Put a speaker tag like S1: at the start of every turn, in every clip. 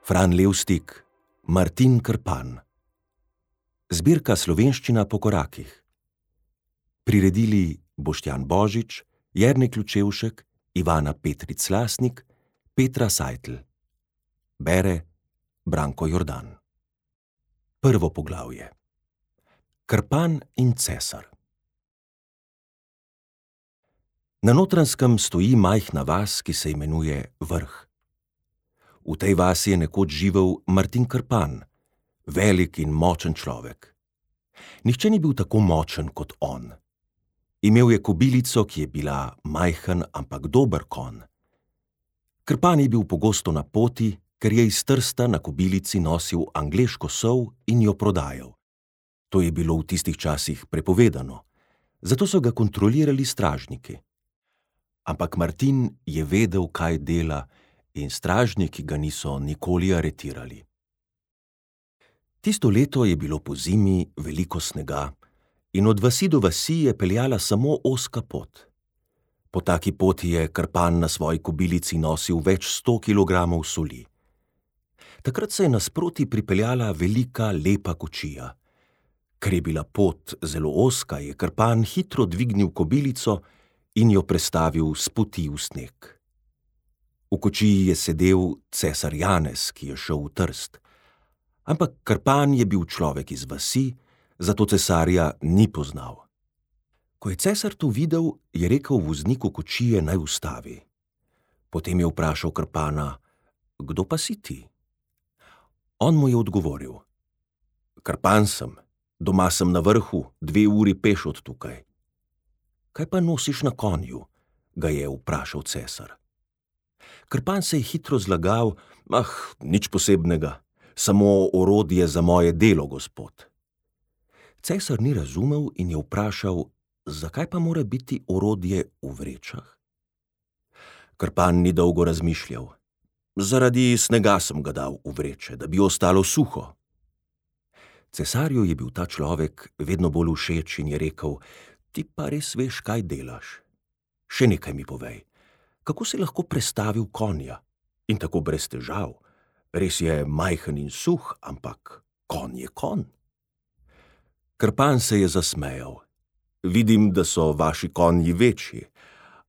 S1: Fran Levstik, Martin Krpan. Zbirka Slovenščina po korakih. Priredili Boštjan Božič, Jernej Klučevšek, Ivana Petric-Lasnik, Petra Seitl. Bere Branko Jordan. Prvo poglavje. Krpan in cesar. Na Notranjskem stoji majhna vas, ki se imenuje Vrh. V tej vasi je nekoč živel Martin Krpan, velik in močen človek. Nihče ni bil tako močen kot on. Imel je kobilico, ki je bila majhen, ampak dober konj. Krpan je bil pogosto na poti, ker je iz Trsta na kobilici nosil angleško sol in jo prodajal. To je bilo v tistih časih prepovedano, zato so ga kontrolirali stražniki. Ampak Martin je vedel, kaj dela, in stražniki ga niso nikoli aretirali. Tisto leto je bilo pozimi veliko snega in od vasi do vasi je peljala samo ozka pot. Po taki poti je Krpan na svoji kobilici nosil več 100 kilogramov soli. Takrat se je nasproti pripeljala velika, lepa kočija. Ker je bila pot zelo ozka, je Krpan hitro dvignil kobilico in jo prestavil s poti v sneg. V kočiji je sedel cesar Janez, ki je šel v Trst. Ampak Krpan je bil človek iz vasi, zato cesarja ni poznal. Ko je cesar to videl, je rekel vozniku kočije, naj ustavi. Potem je vprašal Krpana: "Kdo pa si ti?" On mu je odgovoril: "Krpan sem, doma sem na Vrhu, 2 uri peš od tukaj." "Kaj pa nosiš na konju?" ga je vprašal cesar. Krpan se je hitro zlagal: "Nič posebnega, samo orodje za moje delo, gospod." Cesar ni razumel in je vprašal: "Zakaj pa mora biti orodje v vrečah?" Krpan ni dolgo razmišljal: "Zaradi snega sem ga dal v vreče, da bi ostalo suho." Cesarju je bil ta človek vedno bolj všeč in je rekel: "Ti pa res veš, kaj delaš. Še nekaj mi povej. Kako si lahko prestavil konja? In tako brez težav. Res je majhen in suh, ampak konj je konj." Krpan se je zasmejal: "Vidim, da so vaši konji večji,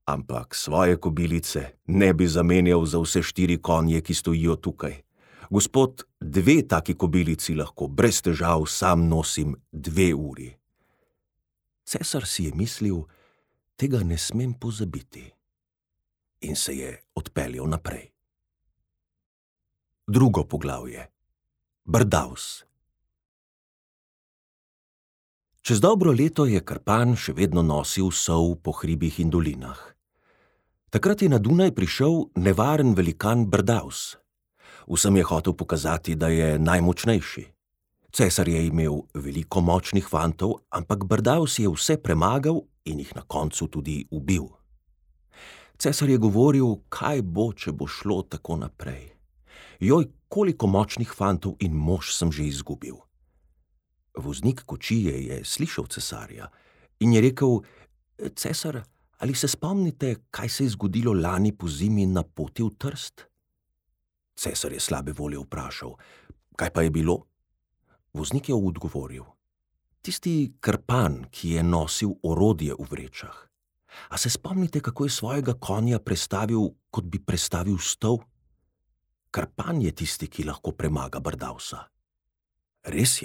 S1: ampak svoje kobilice ne bi zamenjal za vse 4 konje, ki stojijo tukaj. Gospod, 2 taki kobilici lahko brez težav sam nosim 2 uri." Cesar si je mislil: "Tega ne smem pozabiti." In se je odpeljal naprej. Drugo poglavje. Brdavs. Čez dobro leto je Krpan še vedno nosil sol po hribih in dolinah. Takrat je na Dunaj prišel nevaren velikan Brdavs. Vsem je hotel pokazati, da je najmočnejši. Cesar je imel veliko močnih fantov, ampak Brdavs je vse premagal in jih na koncu tudi ubil. Cesar je govoril, kaj bo, če bo šlo tako naprej. Joj, koliko močnih fantov in mož sem že izgubil. Voznik kočije je slišal cesarja in je rekel: "Cesar, ali se spomnite, kaj se je zgodilo lani pozimi na poti v Trst?" Cesar je slabe volje vprašal: "Kaj pa je bilo?" Voznik je odgovoril: "Tisti Krpan, ki je nosil orodje v vrečah. A se spomnite, kako je svojega konja prestavil, kot bi prestavil stol? Krpan je tisti, ki lahko premaga Brdavsa." "Res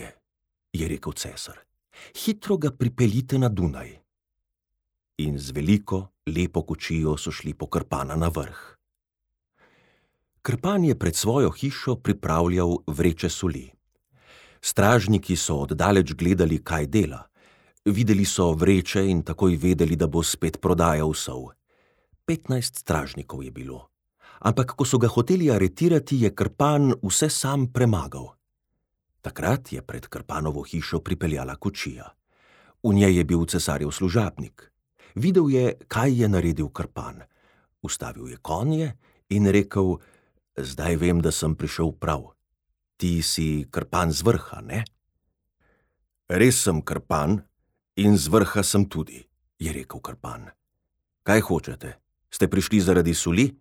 S1: je rekel cesar. "Hitro ga pripeljite na Dunaj." In z veliko, lepo kočijo so šli po Krpana na Vrh. Krpan je pred svojo hišo pripravljal vreče soli. Stražniki so od daleč gledali, kaj dela. Videli so vreče in takoj vedeli, da bo spet prodajal sol. 15 stražnikov je bilo. Ampak ko so ga hoteli aretirati, je Krpan vse sam premagal. Takrat je pred Krpanovo hišo pripeljala kočija. V njej je bil cesarjev služabnik. Videl je, kaj je naredil Krpan. Ustavil je konje in rekel: "Zdaj vem, da sem prišel prav. Ti si Krpan z Vrha, ne?" "Res sem Krpan in z Vrha sem tudi," je rekel Krpan. "Kaj hočete? Ste prišli zaradi soli?"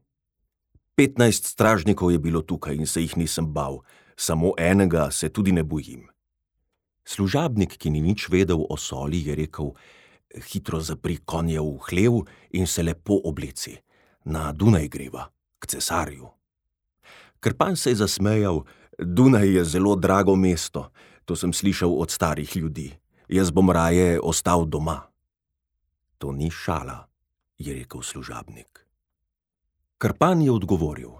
S1: 15 stražnikov je bilo tukaj in se jih nisem bal, samo enega se tudi ne bojim. Služabnik, ki ni nič vedel o soli, je rekel: hitro zapri konje v hlev in se lepo obleci. Na Dunaj greva, k cesarju. Krpan se je zasmejal: Dunaj je zelo drago mesto, to sem slišal od starih ljudi. Jaz bom raje ostal doma. To ni šala, je rekel služabnik. Krpan je odgovoril: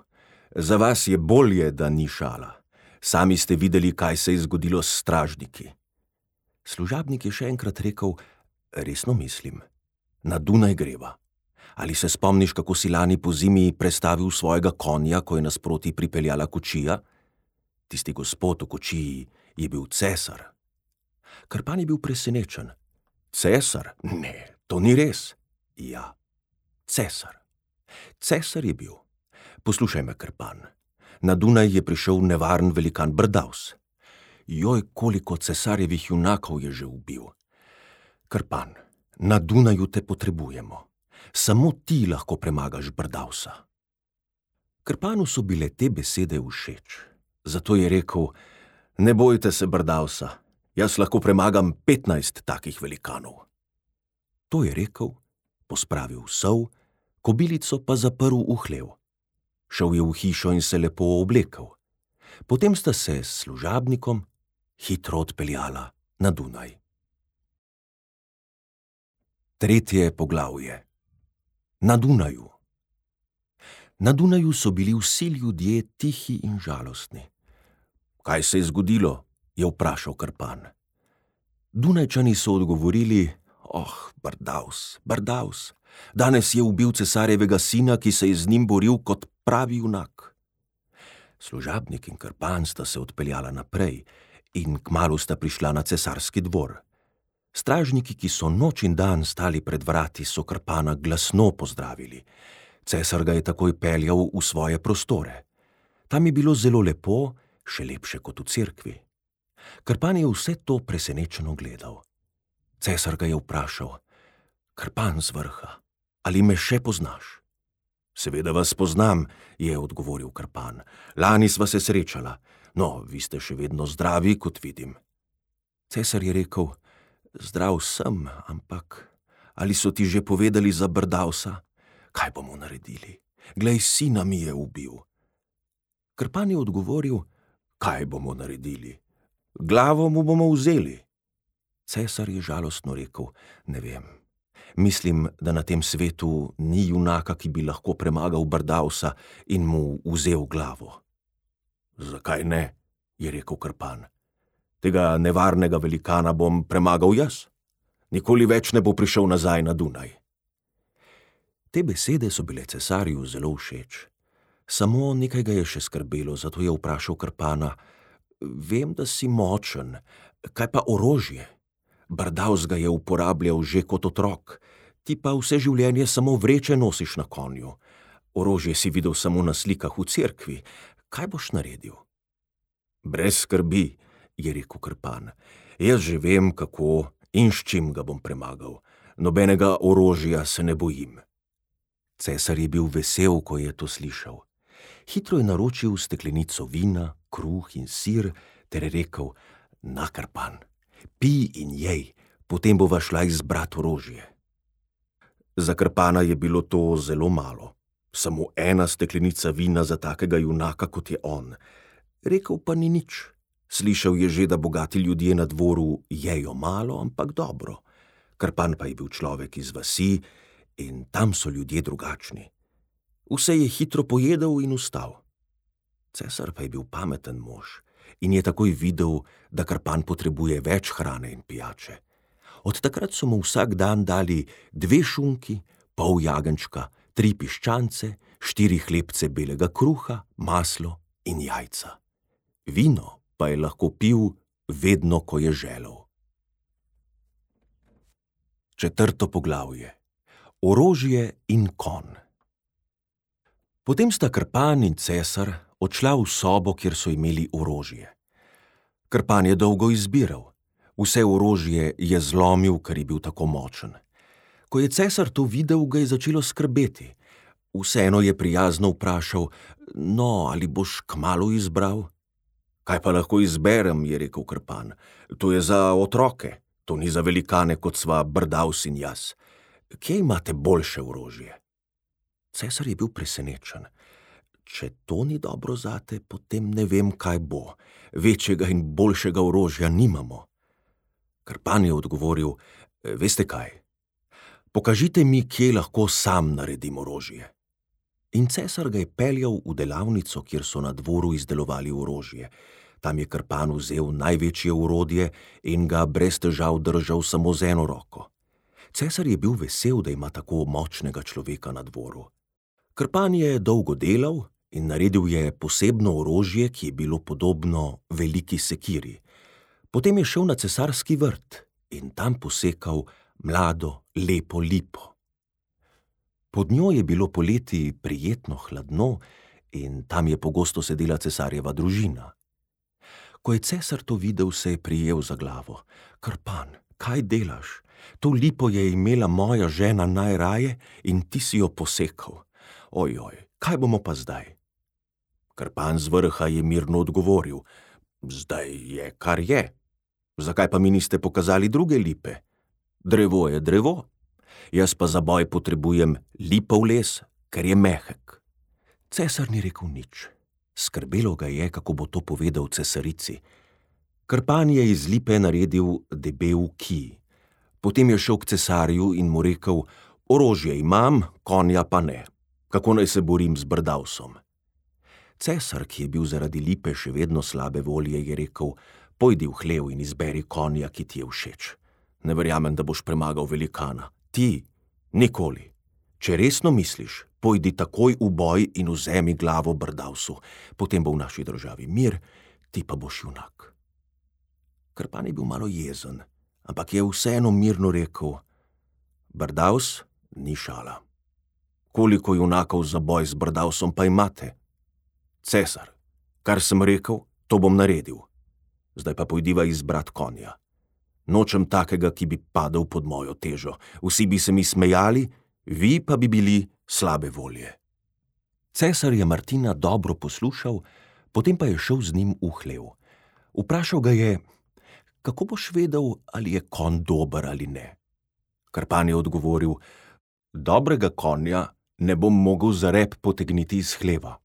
S1: za vas je bolje, da ni šala. Sami ste videli, kaj se je zgodilo s stražniki. Služabnik je še enkrat rekel: resno mislim, na Dunaj greva. Ali se spomniš, kako si lani pozimi prestavil svojega konja, ko je nasproti pripeljala kočija? Tisti gospod v kočiji je bil cesar. Krpan je bil presenečen. Cesar? Ne, to ni res. Ja, cesar. Cesar je bil. Poslušaj me, Krpan. Na Dunaj je prišel nevaren velikan Brdavs. Joj, koliko cesarjevih junakov je že ubil. Krpan, na Dunaju te potrebujemo. Samo ti lahko premagaš Brdavsa. Krpanu so bile te besede všeč. Zato je rekel: ne bojte se Brdavsa, jaz lahko premagam 15 takih velikanov. To je rekel, pospravil sol, kobilico pa zaprl v hlev. Šel je v hišo in se lepo oblekel. Potem sta se s služabnikom hitro odpeljala na Dunaj. 3. poglavje. Na Dunaju. Na Dunaju so bili vsi ljudje tihi in žalostni. Kaj se je zgodilo? Je vprašal Krpan. Dunajčani so odgovorili: Brdavs, Brdavs, danes je ubil cesarjevega sina, ki se je z njim boril kot pravi junak. Služabnik in Krpan sta se odpeljala naprej in kmalu sta prišla na cesarski dvor. Stražniki, ki so noč in dan stali pred vrati, so Krpana glasno pozdravili. Cesar ga je takoj peljal v svoje prostore. Tam je bilo zelo lepo, še lepše kot v cerkvi. Krpan je vse to presenečeno gledal. Cesar ga je vprašal: Krpan z vrha, ali me še poznaš? Seveda vas poznam, je odgovoril Krpan. Lani sva se srečala. No, vi ste še vedno zdravi, kot vidim. Cesar je rekel: zdrav sem, ampak ali so ti že povedali za Brdavsa? Kaj bomo naredili? Glej, sina mi je ubil. Krpan je odgovoril: kaj bomo naredili? Glavo mu bomo vzeli. Cesar je žalostno rekel: ne vem. Mislim, da na tem svetu ni junaka, ki bi lahko premagal Brdavsa in mu vzel glavo. Zakaj ne? Je rekel Krpan. Tega nevarnega velikana bom premagal jaz. Nikoli več ne bo prišel nazaj na Dunaj. Te besede so bile cesarju zelo všeč. Samo nekaj ga je še skrbelo, zato je vprašal Krpana: vem, da si močen, kaj pa orožje? Brdavs ga je uporabljal že kot otrok, ti pa vse življenje samo vreče nosiš na konju. Orožje si videl samo na slikah v cerkvi. Kaj boš naredil? Brez skrbi, je rekel Krpan. Jaz že vem, kako in s čim ga bom premagal. Nobenega orožja se ne bojim. Cesar je bil vesel, ko je to slišal. Hitro je naročil steklenico vina, kruh in sir, ter rekel: na, Krpan, pij in jej, potem bova šla izbrat orožje. Za Krpana je bilo to zelo malo. Samo ena steklenica vina za takega junaka, kot je on. Rekel pa ni nič. Slišal je že, da bogati ljudje na dvoru jejo malo, ampak dobro. Krpan pa je bil človek iz vasi in tam so ljudje drugačni. Vse je hitro pojedel in vstal. Cesar pa je bil pameten mož in je takoj videl, da Krpan potrebuje več hrane in pijače. Od takrat so mu vsak dan dali 2 šunki, pol jagenjčka, 3 piščance, 4 hlebce belega kruha, maslo in jajca. Vino pa je lahko pil vedno, ko je želel. 4. poglavje. Orožje in konj. Potem sta Krpan in cesar odšla v sobo, kjer so imeli orožje. Krpan je dolgo izbiral. Vse orožje je zlomil, ker je bil tako močen. Ko je cesar to videl, ga je začelo skrbeti. Vseeno je prijazno vprašal: "No, ali boš kmalu izbral?" "Kaj pa lahko izberem," je rekel Krpan. "To je za otroke, to ni za velikane, kot sva Brdavs in jaz. Kje imate boljše orožje?" Cesar je bil presenečen. "Če to ni dobro zate, potem ne vem, kaj bo. Večjega in boljšega orožja nimamo." Krpan je odgovoril: "Veste kaj? Pokažite mi, kje lahko sam naredim orožje." In cesar ga je peljal v delavnico, kjer so na dvoru izdelovali orožje. Tam je Krpan vzel največje orodje in ga brez težav držal samo z eno roko. Cesar je bil vesel, da ima tako močnega človeka na dvoru. Krpan je dolgo delal in naredil je posebno orožje, ki je bilo podobno veliki sekiri. Potem je šel na cesarski vrt in tam posekal mlado, lepo lipo. Pod njo je bilo poleti prijetno hladno in tam je pogosto sedela cesarjeva družina. Ko je cesar to videl, se je prijel za glavo. "Krpan, kaj delaš? To lipo je imela moja žena najraje in ti si jo posekal. Ojoj, kaj bomo pa zdaj?" Krpan z vrha je mirno odgovoril: "Zdaj je, kar je. Zakaj pa mi niste pokazali druge lipe? Drevo je drevo. Jaz pa za boj potrebujem lipov les, ker je mehek." Cesar ni rekel nič. Skrbelo ga je, kako bo to povedal cesarici. Krpan je iz lipe naredil debel kij. Potem je šel k cesarju in mu rekel: "Orožje imam, konja pa ne. Kako naj se borim z Brdavsom?" Cesar, ki je bil zaradi lipe še vedno slabe volje, je rekel: "Pojdi v hlev in izberi konja, ki ti je všeč. Ne verjamem, da boš premagal velikana. Ti, nikoli. Če resno misliš, pojdi takoj v boj in vzemi glavo Brdavsu. Potem bo v naši državi mir, ti pa boš junak." Krpan je bil malo jezen, ampak je vseeno mirno rekel: "Brdavs ni šala. Koliko junakov za boj z Brdavsom pa imate?" "Cesar, kar sem rekel, to bom naredil. Zdaj pa pojdiva izbrat konja. Nočem takega, ki bi padel pod mojo težo. Vsi bi se mi smejali, vi pa bi bili slabe volje." Cesar je Martina dobro poslušal, potem pa je šel z njim v hlev. Vprašal ga je: "Kako boš vedel, ali je konj dober ali ne?" Krpan je odgovoril: "Dobrega konja ne bom mogel za rep potegniti iz hleva."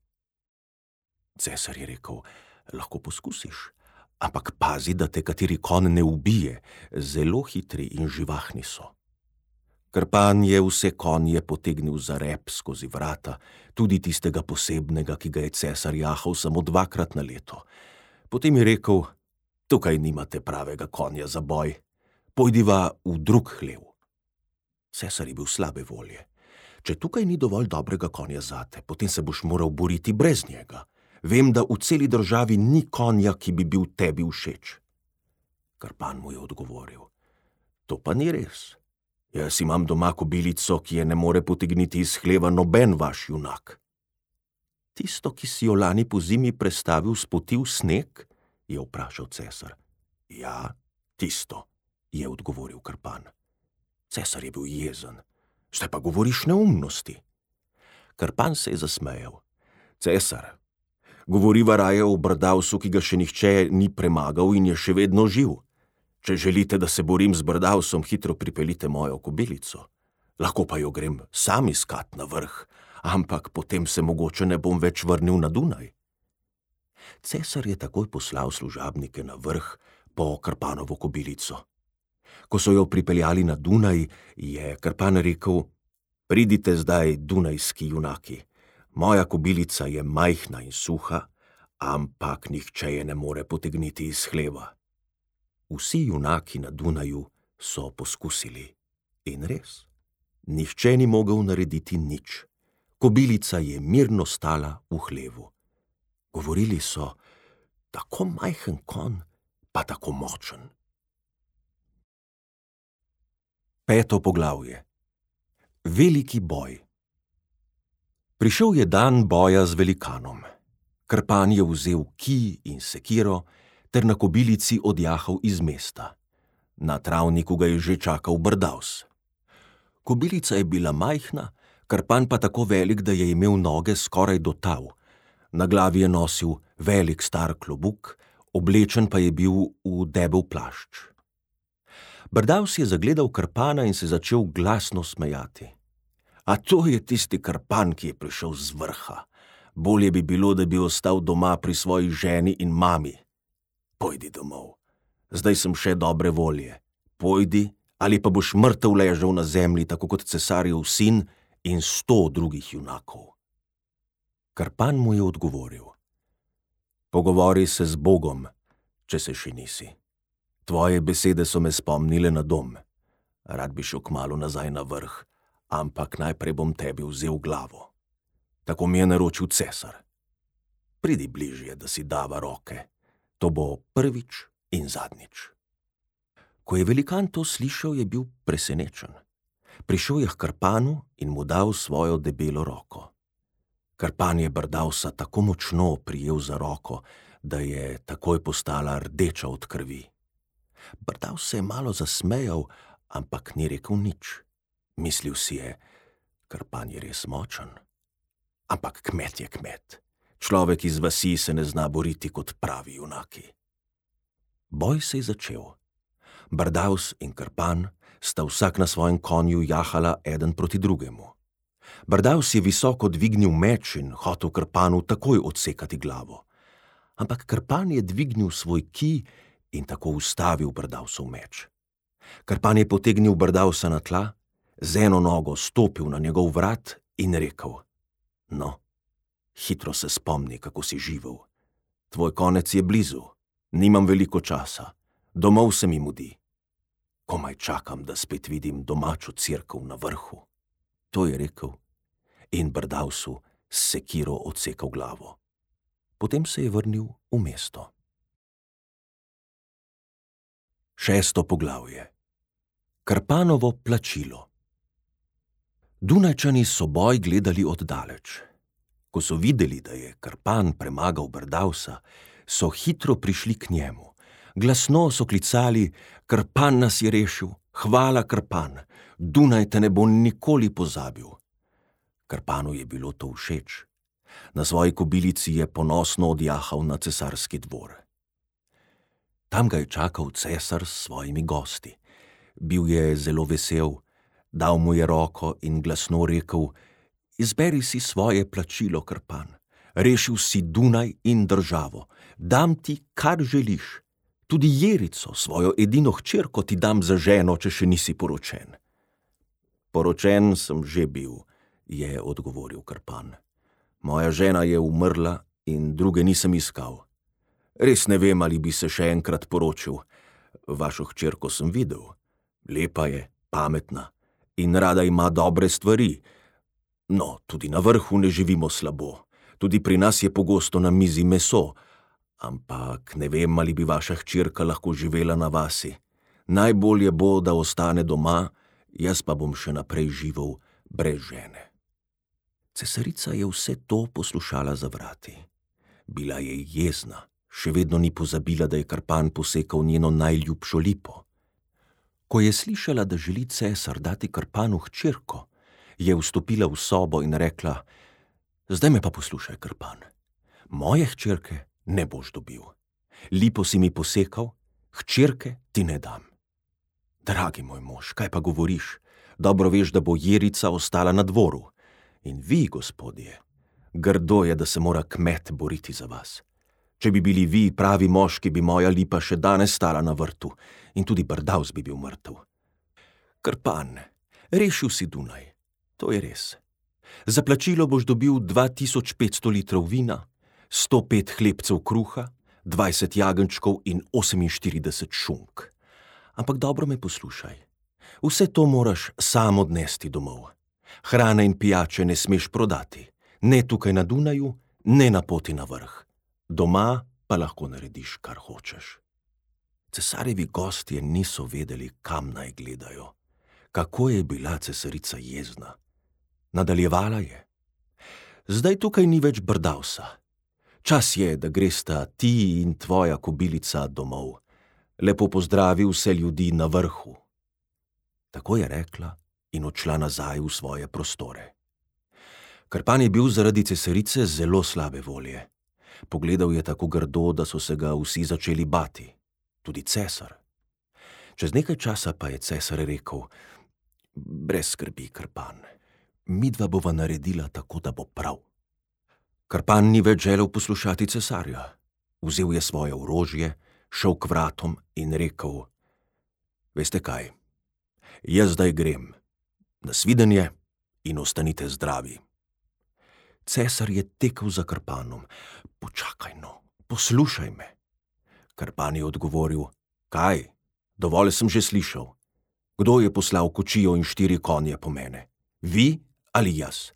S1: Cesar je rekel: "Lahko poskusiš, ampak pazi, da te kateri konj ne ubije, zelo hitri in živahni so." Krpan je vse konje potegnil za rep skozi vrata, tudi tistega posebnega, ki ga je cesar jahal samo 2-krat na leto. Potem je rekel: "Tukaj nimate pravega konja za boj. Pojdiva v drug hlev." Cesar je bil slabe volje. "Če tukaj ni dovolj dobrega konja zate, potem se boš moral boriti brez njega. Vem, da v celi državi ni konja, ki bi bil tebi všeč." Krpan mu je odgovoril: "To pa ni res. Jaz imam doma kobilico, ki je ne more potegniti iz hleva noben vaš junak." "Tisto, ki si jo lani pozimi prestavil s poti v sneg?" je vprašal cesar. "Ja, tisto," je odgovoril Krpan. Cesar je bil jezen. "Zdaj pa govoriš neumnosti." Krpan se je zasmejal. "Cesar, govoriva raje o Brdavsu, ki ga še nihče ni premagal in je še vedno živ. Če želite, da se borim z Brdavsom, hitro pripeljite mojo kobilico. Lahko pa jo grem sam iskat na vrh, ampak potem se mogoče ne bom več vrnil na Dunaj." Cesar je takoj poslal služabnike na vrh po Krpanovo kobilico. Ko so jo pripeljali na Dunaj, je Krpan rekel: "Pridite zdaj, dunajski junaki. Moja kobilica je majhna in suha, ampak nihče je ne more potegniti iz hleva." Vsi junaki na Dunaju so poskusili. In res, nihče ni mogel narediti nič. Kobilica je mirno stala v hlevu. Govorili so: "Tako majhen konj, pa tako močen." 5. poglavje. Veliki boj. Prišel je dan boja z velikanom. Krpan je vzel kij in sekiro ter na kobilici odjahal iz mesta. Na travniku ga je že čakal Brdavs. Kobilica je bila majhna, Krpan pa tako velik, da je imel noge skoraj do tal. Na glavi je nosil velik star klobuk, oblečen pa je bil v debel plašč. Brdavs je zagledal Krpana in se začel glasno smejati. A to je tisti Krpan, ki je prišel z vrha. Bolje bi bilo, da bi ostal doma pri svoji ženi in mami. Pojdi domov. Zdaj sem še dobre volje. Pojdi, ali pa boš mrtev ležal na zemlji, tako kot cesarjev sin in 100 drugih junakov. Krpan mu je odgovoril. Pogovori se z Bogom, če se še nisi. Tvoje besede so me spomnile na dom. Rad bi šel kmalu nazaj na vrh, ampak najprej bom tebi vzel glavo. Tako mi je naročil cesar. Pridi bližje, da si dava roke. To bo prvič in zadnjič. Ko je velikan to slišal, je bil presenečen. Prišel je h Krpanu in mu dal svojo debelo roko. Krpan je Brdavsa tako močno prijel za roko, da je takoj postala rdeča od krvi. Brdavs se je malo zasmejal, ampak ni rekel nič. Mislil si je, Krpan je res močen. Ampak kmet je kmet. Človek iz vasi se ne zna boriti kot pravi junaki. Boj se je začel. Brdavs in Krpan sta vsak na svojem konju jahala eden proti drugemu. Brdavs je visoko dvignil meč in hotel Krpanu takoj odsekati glavo. Ampak Krpan je dvignil svoj kij in tako ustavil Brdavsov meč. Krpan je potegnil Brdavsa na tla, z eno nogo stopil na njegov vrat in rekel: No, hitro se spomni, kako si živel. Tvoj konec je blizu, nimam veliko časa, domov se mi mudi. Komaj čakam, da spet vidim domačo cerkev na vrhu. To je rekel in Brdavsu s sekiro odsekal glavo. Potem se je vrnil v mesto. 6. poglavje. Krpanovo plačilo. Dunajčani so boj gledali oddaleč. Ko so videli, da je Krpan premagal Brdavsa, so hitro prišli k njemu. Glasno so klicali: Krpan nas je rešil, hvala Krpan, Dunaj te ne bo nikoli pozabil. Krpanu je bilo to všeč. Na svoji kobilici je ponosno odjahal na cesarski dvor. Tam ga je čakal cesar s svojimi gosti. Bil je zelo vesel, dal mu je roko in glasno rekel: Izberi si svoje plačilo, Krpan. Rešil si Dunaj in državo. Dam ti, kar želiš. Tudi Jerico, svojo edino hčerko, ti dam za ženo, če še nisi poročen. Poročen sem že bil, je odgovoril Krpan. Moja žena je umrla in druge nisem iskal. Res ne vem, ali bi se še enkrat poročil. Vašo hčerko sem videl. Lepa je, pametna in rada ima dobre stvari. No, tudi na vrhu ne živimo slabo. Tudi pri nas je pogosto na mizi meso. Ampak ne vem, ali bi vaša hčerka lahko živela na vasi. Najbolje bo, da ostane doma, jaz pa bom še naprej živel brez žene. Cesarica je vse to poslušala za vrati. Bila je jezna, še vedno ni pozabila, da je Krpan posekal njeno najljubšo lipo. Ko je slišala, da želi cesar dati Krpanu hčerko, je vstopila v sobo in rekla: Zdaj me pa poslušaj, Krpan. Moje hčerke ne boš dobil. Lipo si mi posekal, hčerke ti ne dam. Dragi moj mož, kaj pa govoriš? Dobro veš, da bo Jerica ostala na dvoru. In vi, gospodje, grdo je, da se mora kmet boriti za vas. Če bi bili vi pravi moški, bi moja lipa še danes stala na vrtu in tudi Brdavs bi bil mrtev. Krpan, rešil si Dunaj, to je res. Za plačilo boš dobil 2500 litrov vina, 105 hlebcev kruha, 20 jagenjčkov in 48 šunk. Ampak dobro me poslušaj. Vse to moraš sam odnesti domov. Hrane in pijače ne smeš prodati, ne tukaj na Dunaju, ne na poti na vrh. Doma pa lahko narediš, kar hočeš. Cesarjevi gostje niso vedeli, kam naj gledajo. Kako je bila cesarica jezna. Nadaljevala je: Zdaj tukaj ni več Brdavsa. Čas je, da gresta ti in tvoja kobilica domov. Lepo pozdravi vse ljudi na vrhu. Tako je rekla in odšla nazaj v svoje prostore. Krpan je bil zaradi cesarice zelo slabe volje. Pogledal je tako grdo, da so se ga vsi začeli bati, tudi cesar. Čez nekaj časa pa je cesar rekel: brez skrbi, Krpan, midva bova naredila tako, da bo prav. Krpan ni več želel poslušati cesarja. Vzel je svoje orožje, šel k vratom in rekel: veste kaj, jaz zdaj grem. Nasvidenje in ostanite zdravi. Cesar je tekel za Krpanom. Počakaj no, poslušaj me. Krpan je odgovoril: kaj? Dovolj sem že slišal. Kdo je poslal kočijo in 4 konje po mene? Vi ali jaz?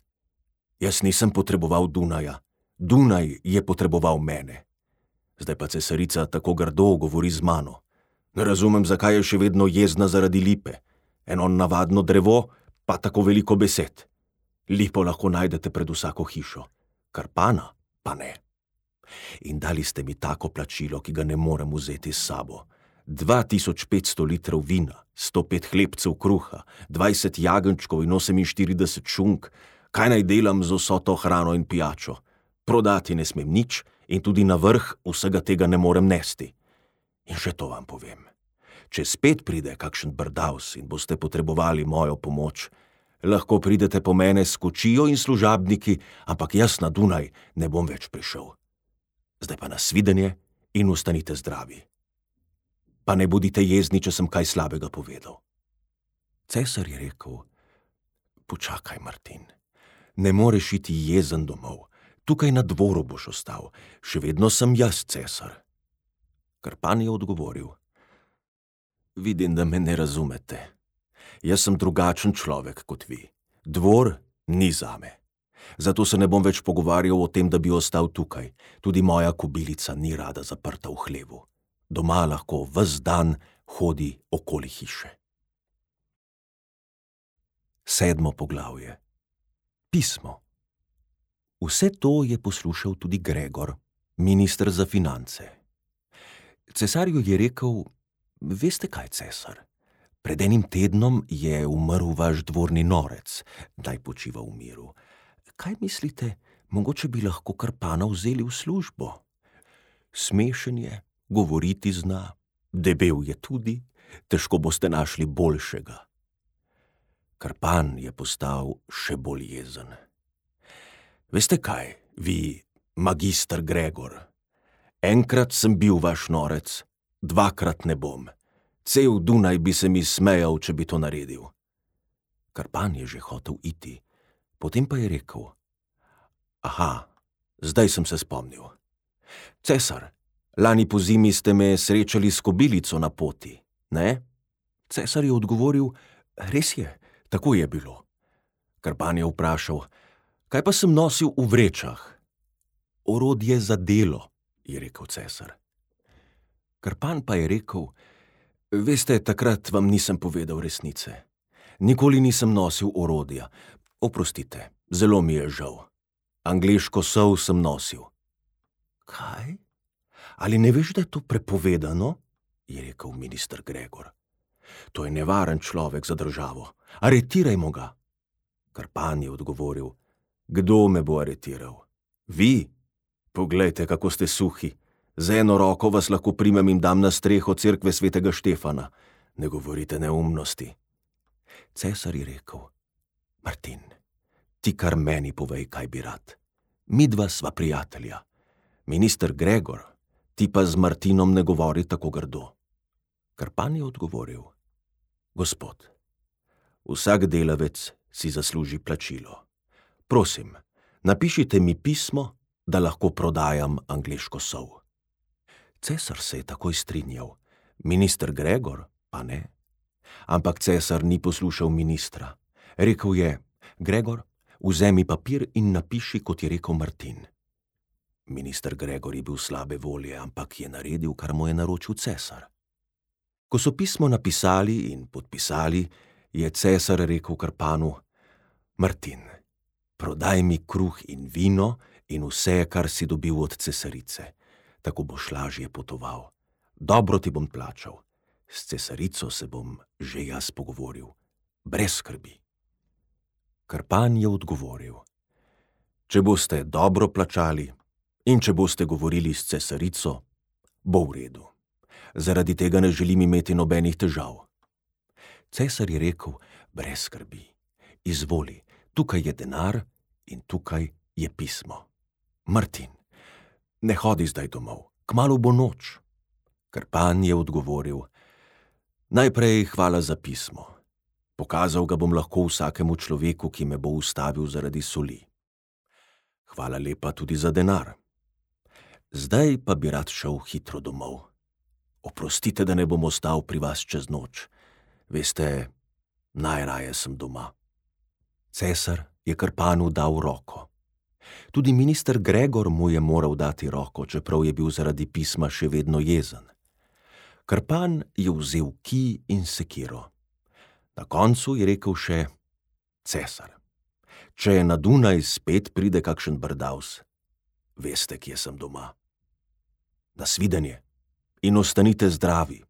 S1: Jaz nisem potreboval Dunaja. Dunaj je potreboval mene. Zdaj pa cesarica tako grdo govori z mano. Ne razumem, zakaj je še vedno jezna zaradi lipe. Eno navadno drevo, pa tako veliko besed. Lipo lahko najdete pred vsako hišo, Krpana pa ne. In dali ste mi tako plačilo, ki ga ne morem vzeti s sabo. 2500 litrov vina, 105 hlebcev kruha, 20 jagenjčkov in 48 šunk. Kaj naj delam z vso to hrano in pijačo? Prodati ne smem nič in tudi na vrh vsega tega ne morem nesti. In še to vam povem. Če spet pride kakšen brdavs in boste potrebovali mojo pomoč, lahko pridete po mene s kočijo in služabniki, ampak jaz na Dunaj ne bom več prišel. Zdaj pa nasvidenje in ostanite zdravi. Pa ne bodite jezni, če sem kaj slabega povedal. Cesar je rekel: počakaj, Martin, ne moreš iti jezen domov. Tukaj na dvoru boš ostal. Še vedno sem jaz cesar. Krpan je odgovoril: vidim, da me ne razumete. Jaz sem drugačen človek kot vi. Dvor ni zame. Zato se ne bom več pogovarjal o tem, da bi ostal tukaj. Tudi moja kobilica ni rada zaprta v hlevu. Doma lahko ves dan hodi okoli hiše. 7. poglavje. Pismo. Vse to je poslušal tudi Gregor, minister za finance. Cesarju je rekel: veste kaj, cesar? Pred enim tednom je umrl vaš dvorni norec, naj počiva v miru. Kaj mislite, mogoče bi lahko Krpana vzeli v službo? Smešen je, govoriti zna, debel je tudi, težko boste našli boljšega. Krpan je postal še bolj jezen. Veste kaj, vi, magister Gregor? Enkrat sem bil vaš norec, 2krat ne bom. Cel Dunaj bi se mi smejal, če bi to naredil. Krpan je že hotel iti, potem pa je rekel: aha, zdaj sem se spomnil. Cesar, lani pozimi ste me srečali s kobilico na poti, ne? Cesar je odgovoril: res je, tako je bilo. Krpan je vprašal: kaj pa sem nosil v vrečah? Orodje za delo, je rekel cesar. Krpan pa je rekel: veste, takrat vam nisem povedal resnice. Nikoli nisem nosil orodja. Oprostite, zelo mi je žal. Angleško sol sem nosil. Kaj? Ali ne veš, da je to prepovedano? Je rekel minister Gregor. To je nevaren človek za državo. Aretirajmo ga. Krpan je odgovoril: kdo me bo aretiral? Vi? Poglejte, kako ste suhi. Z eno roko vas lahko primem in dam na streho cerkve svetega Štefana. Ne govorite neumnosti. Cesar je rekel: Martin, ti kar meni povej, kaj bi rad. Midva sva prijatelja. Minister Gregor, ti pa z Martinom ne govori tako grdo. Krpan je odgovoril: gospod, vsak delavec si zasluži plačilo. Prosim, napišite mi pismo, da lahko prodajam angleško sol. Cesar se je takoj strinjal, minister Gregor pa ne. Ampak cesar ni poslušal ministra. Rekel je: Gregor, vzemi papir in napiši, kot je rekel Martin. Minister Gregor je bil slabe volje, ampak je naredil, kar mu je naročil cesar. Ko so pismo napisali in podpisali, je cesar rekel Krpanu: Martin, prodaj mi kruh in vino in vse, kar si dobil od cesarice. Tako boš lažje potoval. Dobro ti bom plačal. S cesarico se bom že jaz pogovoril. Brez skrbi. Krpan je odgovoril: Če boste dobro plačali in če boste govorili s cesarico, bo v redu. Zaradi tega ne želim imeti nobenih težav. Cesar je rekel: brez skrbi, izvoli, tukaj je denar in tukaj je pismo. Martin, ne hodi zdaj domov, kmalu bo noč. Krpan je odgovoril: najprej hvala za pismo. Pokazal ga bom lahko vsakemu človeku, ki me bo ustavil zaradi soli. Hvala lepa tudi za denar. Zdaj pa bi rad šel hitro domov. Oprostite, da ne bom ostal pri vas čez noč. Veste, najraje sem doma. Cesar je Krpanu dal roko. Tudi minister Gregor mu je moral dati roko, čeprav je bil zaradi pisma še vedno jezen. Krpan je vzel kij in sekiro. Na koncu je rekel še: cesar, če na Dunaj spet pride kakšen brdavs, veste, kje sem doma. Nasvidenje in ostanite zdravi.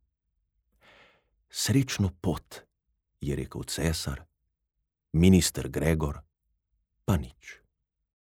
S1: Srečno pot, je rekel cesar, minister Gregor pa nič.